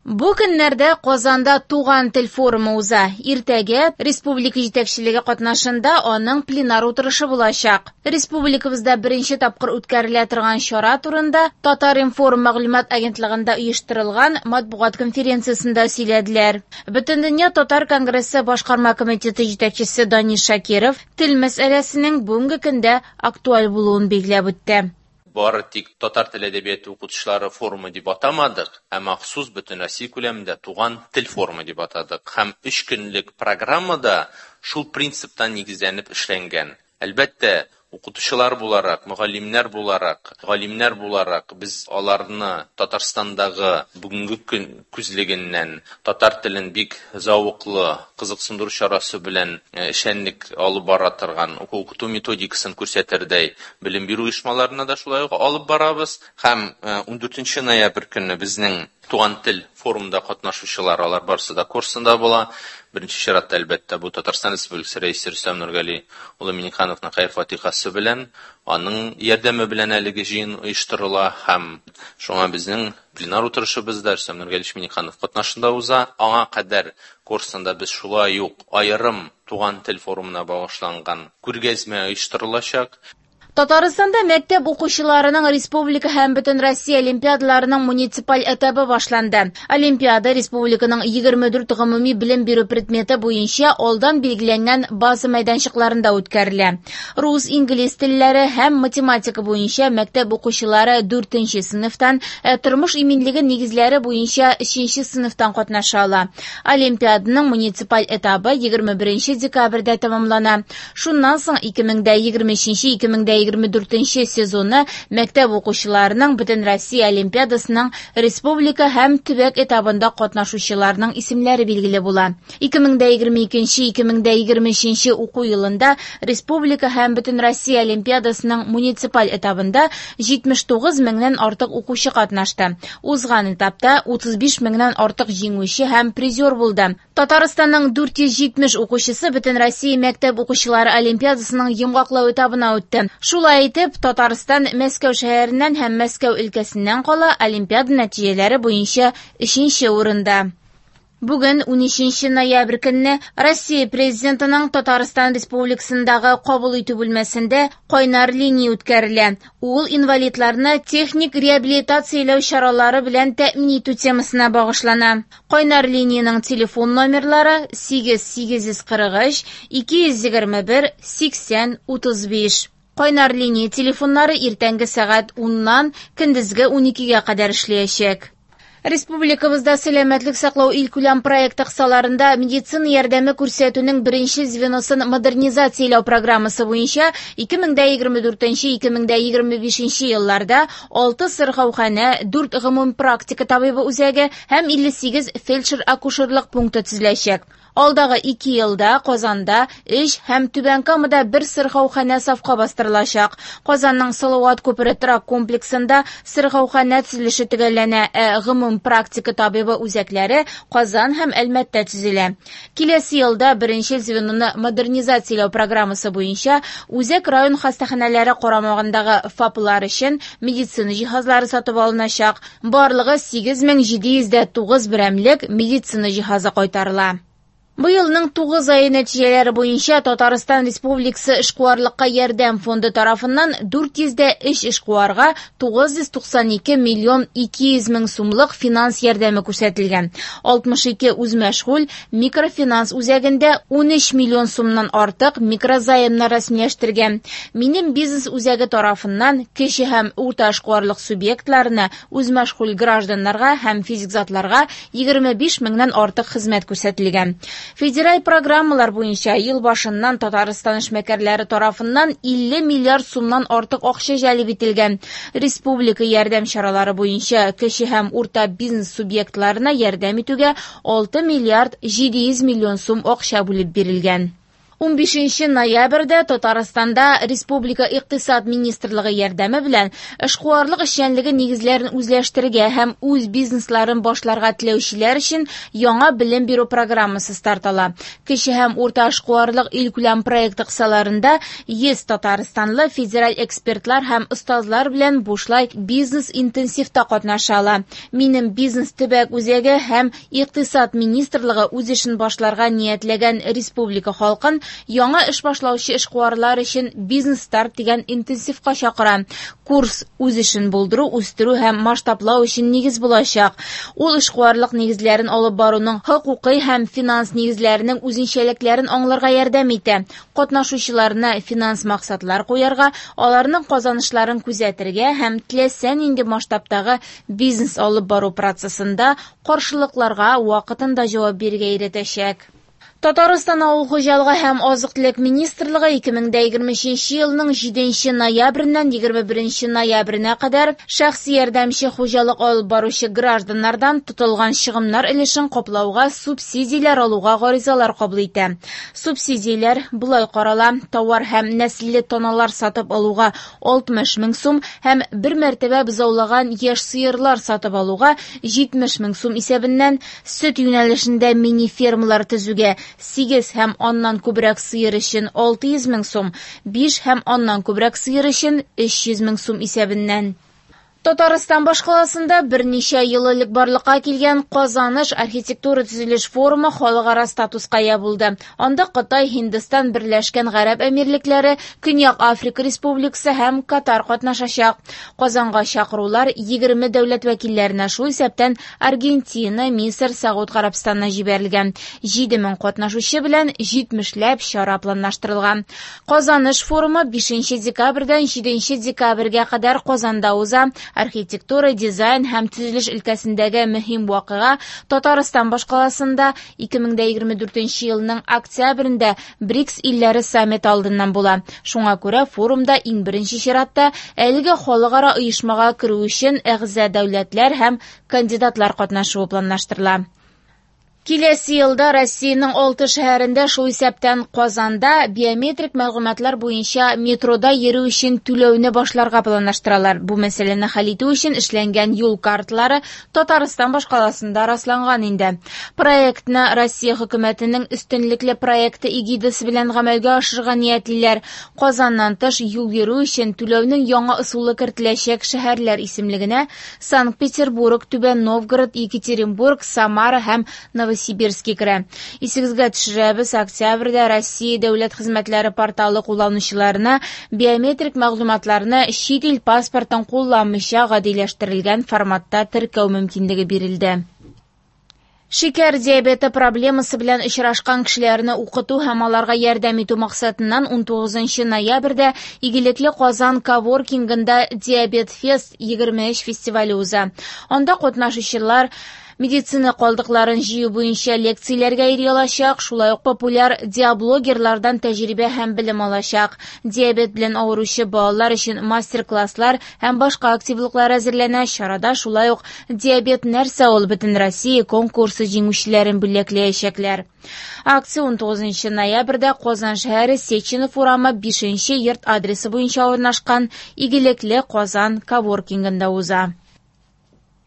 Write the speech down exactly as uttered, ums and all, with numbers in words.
Бу көннәрдә Казанда Туган тел форумы уза. Иртәгә республика җитәкчелеге катнашында аның пленар утырышы булачак. Республикабызда беренче тапкыр үткәрелә торган чара турында Татар-информ мәгълүмат агентлыгында оештырылган матбугат конференциясендә сөйләделәр. Бөтендөнья татар конгрессы башкарма комитеты җитәкчесе Данис Шакиров тел мәсьәләсенең бүгенге көндә актуаль булуын билгеләп үтте. Бары тик татар тел әдәбияты укытучылары форумы дип атамадык, ә махсус бөтен Россия күләмендә туган тел форумы дип атадык. Һәм өч көнлек программада шул принциптан нигезләнеп эшләнгән. Әлбәттә, укытучылар буларак, мөгаллимнәр буларак, галимнәр буларак без аларны Татарстандагы бүгенге көн күзлегеннән татар телен бик зәвыклы, кызыксындыру чарасы белән эшчәнлек алып бара торган уку-укыту методикасын күрсәтердәй белем бирү оешмаларына да шулай ук алып барабыз. Һәм ундүртенче ноябрь көнне безнең Туган тел форумында катнашучылар, алар барысы да курсында була. Беренче чиратта, әлбәттә, бу Татарстан Республикасы Рәисе Рөстәм Нургали улы Миңнехановның хәер-фатихасы белән, аның ярдәме белән әлеге җыен оештырыла һәм шуңа безнең пленар утырышыбыз да Рөстәм Нургалиевич Миңнеханов катнашында уза. Аңа кадәр курсында без шулай ук аерым Туган тел форумына багышланган күргәзмә оештырылачак. Татарстанда мәктәп укучыларының республика һәм бөтен Россия олимпиадаларының муниципаль этабы башланды. Олимпиада республиканың егерме дүрт гомуми белем бирү предметы буенча алдан билгеләнгән база мәйданчыкларында үткәрелә. Рус, инглиз телләре һәм математика буенча мәктәп укучылары дүртенче сыйныфтан, ә тормыш иминлеге нигезләре буенча өченче сыйныфтан катнаша ала. Олимпиаданың муниципаль этабы егерме беренче декабрьдә тәмамлана. Шуннан соң ике мең дә егерме өченче, ике мең дә егерме дүртенче сезоны мәктәп укучыларының бөтен Россия олимпиадасының республика һәм төбәк этабында катнашучыларның исемләре билгеле була. Ике мең дә егерме икенче, ике мең дә егерме өченче уку елында республика һәм бөтен Россия олимпиадасының муниципаль этабында җитмеш тугыз меңнән артык укучы катнашты. Узган этапта утыз биш меңнән артык җиңүче һәм призер булды. Татарстанның дүрт йөз җитмеш укучысы бөтен Россия мәктәп укучылары олимпиадасының йомгаклау этабына үтте. Шулай итеп, Татарстан Мәскәү шәһәреннән һәм Мәскәү өлкәсеннән кала олимпиада нәтиҗәләре буенча өченче урында. Бүген унөченче ноябрь көнне Россия Президентының Татарстан Республикасындагы кабул итү бүлмәсендә кайнар линия үткәрелә. Ул инвалидларны техник реабилитацияләү чаралары белән тәэмин итү темасына багышлана. Кайнар линиянең телефон номерлары сигез сигез йөз кырык өч, ике йөз егерме бер, сиксән, утыз биш. Кайнар линия телефоннары иртәнге сәгать уннан көндезге уникегә кадәр эшләячәк. Республикабызда сәламәтлек саклау илкүләм проекты кысаларында медицина ярдәме күрсәтүнең беренче звеносын модернизацияләү программасы буенча ике мең дә егерме дүртенче, ике мең дә егерме бишенче елларда алты сырхауханә, дүрт гомум практика табибы үзәге һәм илле сигез фельдшер-акушерлык пункты төзеләчәк. Алдагы ике елда Казанда өч һәм Түбән Камада бер сырхауханә сафка бастырылачак. Казанның Салават күпере торак комплексында сырхауханә төзелеше төгәлләнә, ә гомум практика табибы үзәкләре Казан һәм Әлмәттә төзелә. Киләсе елда беренче звеноны модернизацияләү программасы буенча үзәк район хастаханәләре карамагындагы ФАПлар өчен медицина җиһазлары сатып алыначак. Барлыгы сигез мең җиде йөз дә тугыз берәмлек медицина җиһазы кайтарыла. Быелның тугыз ае нәтиҗәләре буенча Татарстан Республикасы эшкуарлыкка ярдәм фонды тарафыннан дүрт йөз дә өч эшкуарга тугыз йөз туксан ике миллион ике йөз мең сумлык финанс ярдәме күрсәтелгән. Алтмыш ике үзмәшгуль микрофинанс үзәгендә унөч миллион сумнан артык микрозаймнар рәсмиләштергән. Минем бизнес үзәге тарафыннан кече һәм урта эшкуарлык субъектларына, үзмәшгуль гражданнарга һәм физик затларга егерме биш меңнән артык хезмәт күрсәтелгән. Федераль программалар буенча ел башыннан Татарстан эшмәкәрләре тарафыннан илле миллиард сумнан артык акча җәлеп ителгән. Республика ярдәм чаралары буенча кече һәм урта бизнес субъектларына ярдәм итүгә алты миллиард җиде йөз миллион сум акча бүлеп бирелгән. Унбишенче ноябрьдә Татарстанда Республика Икътисад министрлыгы ярдәме белән эшкуарлык эшчәнлеге нигезләрен үзләштерергә һәм үз бизнесларын башларга теләүчеләр өчен яңа белем бирү программасы старт ала. Кече һәм урта эшкуарлык илкүләм проекты кысаларында йөз татарстанлы федераль экспертлар һәм остазлар белән бушлай бизнес-интенсивта катнаша ала. Минем бизнес төбәк үзәге һәм Икътисад министрлыгы үз эшен башларга ниятләгән республика халкын яңа эш башлаучы эшкуарлар өчен бизнес-старт дигән интенсивка чакыра. Курс үз эшен булдыру, үстерү һәм масштаблау өчен нигез булачак. Ул эшкуарлык нигезләрен алып баруның хокукый һәм финанс нигезләренең үзенчәлекләрен аңларга ярдәм итә. Катнашучыларны финанс максатлар куярга, аларның казанышларын күзәтергә һәм теләсә нинди масштабтагы бизнес алып бару процессында каршылыкларга вакытында җавап бирергә өйрәтәчәк. Татарстан авыл хуҗалыгы һәм азык-төлек министрлыгы ике мең дә егерме өченче елның җиденче ноябреннән егерме беренче ноябренә кадәр шәхси ярдәмче хуҗалык алып баручы гражданнардан тотылган чыгымнар өлешен каплауга субсидияләр алуга гаризалар кабул итә. Субсидияләр болай карала: товар һәм нәселле таналар сатып алуга алтмыш мең сум һәм бер мәртәбә бозаулаган яшь сыерлар сатып алуга җитмеш мең сум исәбеннән, сөт юнәлешендә мини-фермалар төзүгә сигез һәм аннан күбрәк сыер өчен алты йөз мең сум, биш һәм аннан күбрәк сыер өчен өч йөз мең сум исәбеннән. Татарстан башкаласында берничә ел элек барлыкка килгән Казаныш архитектура төзелеш форумы халыкара статуска ия булды. Анда Кытай, Һиндстан, Берләшкән Гарәп Әмирлекләре, Көньяк Африка Республикасы һәм Катар катнашачак. Казанга чакырулар егерме дәүләт вәкилләренә, шул исәптән Аргентина, Мисыр, Сәгуд Гарәбстанына җибәрелгән. Җиде мең катнашучы белән җитмешләп чара планлаштырылган. Казаныш форумы бишенче декабрьдән җиденче декабрьгә кадәр Казанда уза. Архитектура, дизайн һәм төзелеш өлкәсендәге мөһим вакыйга Татарстан башкаласында ике мең дә егерме дүртенче елның октябрендә БРИКС илләре саммиты алдыннан була. Шуңа күрә форумда иң беренче чиратта әлеге халыкара оешмага керү өчен әгъза дәүләтләр һәм кандидатлар катнашуы планлаштырыла. Киләсе елда Россиянең алты шәһәрендә, шул исәптән Казанда, биометрик мәгълүматлар буенча метрода йөрү өчен түләүне башларга планлаштыралар. Бу мәсьәләне хәл итү өчен эшләнгән юл карталары Татарстан башкаласында расланган инде. Проектны Россия хөкүмәтенең өстенлекле проекты эгидасы белән гамәлгә ашырырга ниятлиләр. Казаннан тыш юл йөрү өчен түләүнең яңа ысулы кертеләчәк шәһәрләр исемлегенә Санкт-Петербург, Түбән Новгород, Екатеринбург, Самара һәм Новосибирск Сибирский керә. Исегезгә төшерәбез, октябрьдә Россия дәүләт хезмәтләре порталы кулланучыларына биометрик мәгълүматларны чит ил паспортын кулланмыйча гадиләштерелгән форматта теркәү мөмкинлеге бирелде. Шикәр диабеты проблемасы белән очрашкан кешеләрне укыту һәм аларга ярдәм итү максатыннан унтугызынчы ноябрьдә Игелекле Казан коворкингында Диабет Фест егерме өч фестивале уза. Анда катнашучылар медицина калдыкларын җыю буенча лекцияләргә йөри алачак, шулай ук популяр диаблогерлардан тәҗрибә һәм белем алачак. Диабет белән авыручы балалар өчен мастер-класслар һәм башка активлыклар әзерләнә. Чарада шулай ук Диабет нәрсә ул бөтен Россия конкурсы җиңүчеләрен бүләкләячәкләр. Акция унтугызынчы ноябрьдә Казан шәһәре Сеченов урамы бишенче йорт адресы буенча урнашкан Игелекле Казан коворкингында уза.